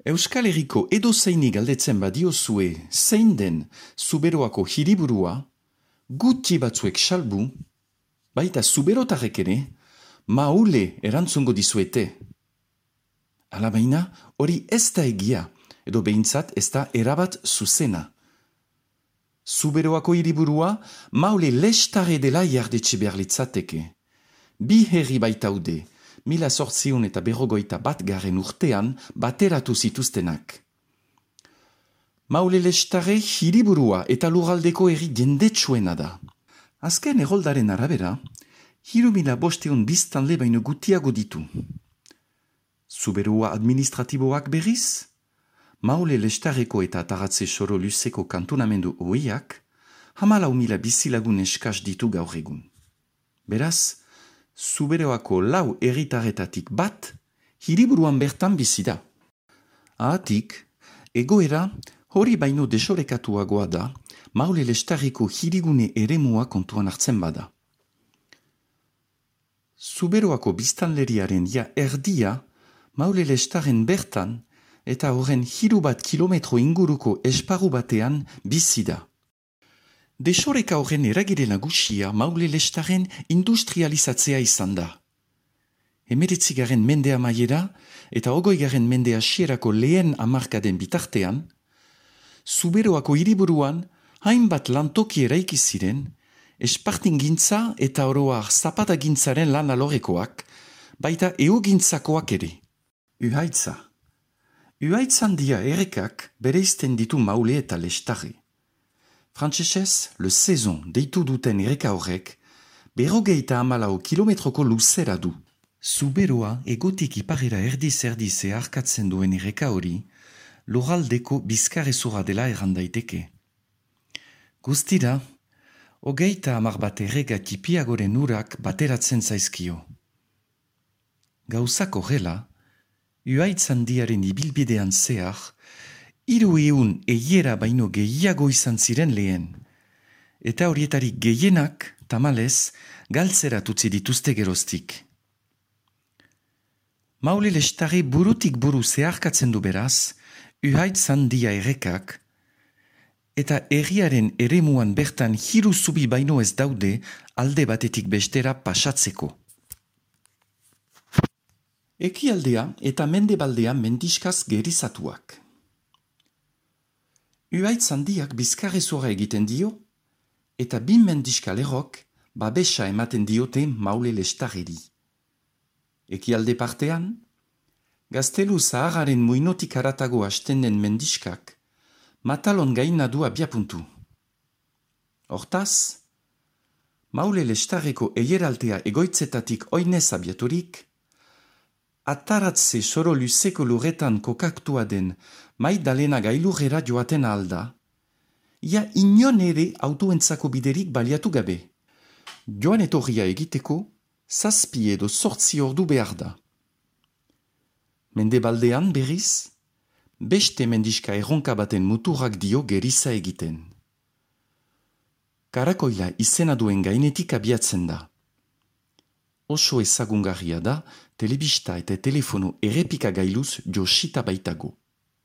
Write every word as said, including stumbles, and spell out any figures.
Euskal Herriko edozeini galdetzen badiozue zein den Zuberoako hiriburua, gutxi batzuek salbu, baita zuberotarrek ere, maule erantzungo dizuete. Alabaina, hori ez da egia, edo behintzat ez da erabat zuzena. Zuberoako hiriburua maule lestare dela jardetxe behar litzateke. Bi herri baitaude, mila sortziun eta berrogoita bat garen urtean bateratu zituztenak. Maule lestare hiriburua eta lurraldeko herri jendetsuena da. Azken erroldaren arabera, hiru mila bosteun biztanle baino gutiago ditu. Zuberoa administratiboak berriz, Maule lestareko eta ataratze soro luzeko kantonamendu oiak, hamalau mila bizilagun eskas ditu gaur egun. Beraz, Zuberoako lau herritarretatik bat, hiriburuan bertan bizi da. Ahatik, egoera hori baino desorekatuagoa da, Maule lestareko hirigune eremua kontuan hartzen bada. Zuberoako biztanleriaren ja erdia, Maule lestaren bertan, eta horren hiru bat kilometro inguruko esparru batean bizi da. Desoreka horren eragire nagusia Maule lestaren industrializatzea izan da. Hemeretzigaren mendea maiera eta ogoigaren mendea hasierako lehen hamarkaden bitartean, Zuberoako hiriburuan hainbat lantoki eraiki ziren, espartingintza eta oroar zapatagintzaren lan alorekoak, baita eugintzakoak ere. Uhaitza. Uhaitzandia errekak bereizten ditu Maule eta lestare. Frantsesez, le saison deitu duten erreka horrek, berrogeita hamalau kilometroko luzera du. Zuberoa egotik iparera erdiz-erdiz zeharkatzen duen erreka hori, lurraldeko bizkarrezurra dela errandaiteke. Guztira, hogeita hamar bat erreka tipiagoren urak bateratzen zaizkio. Gauzak horrela, Uhaitzandiaren ibilbidean zehar, hiru ehun eiera baino gehiago izan ziren lehen, eta horietarik gehienak, tamalez, galtzerat utzi dituzte geroztik. Maule lestare burutik buru zeharkatzen du beraz, Uhaitzandia errekak, eta herriaren eremuan bertan hiru zubi baino ez daude alde batetik bestera pasatzeko. Ekialdea eta mendebaldea mendiskaz gerizatuak. Uhaitzandiak bizkarrezurra egiten dio, eta bi mendiska lerrok babesa ematen diote Maule lestareri. Ekialde partean, Gaztelu Zaharraren muinotik haratago hasten den mendiskak, Matalon gaina du abiapuntu. Hortaz, Maule lestareko eieraltea egoitzetatik oinez abiaturik, ataratze soro luzeko lurretan kokaktua den Maidalena gailurrera joaten alda, ia inon ere autoentzako biderik baliatu gabe. Joan etorria egiteko, zazpi edo sortzi ordu behar da. Mendebaldean berriz, beste mendiska erronka baten muturrak dio geriza egiten. Karakoila izena duen gainetik abiatzen da. Oso ezagungarria da, telebista eta telefono errepikagailuz josita baitago.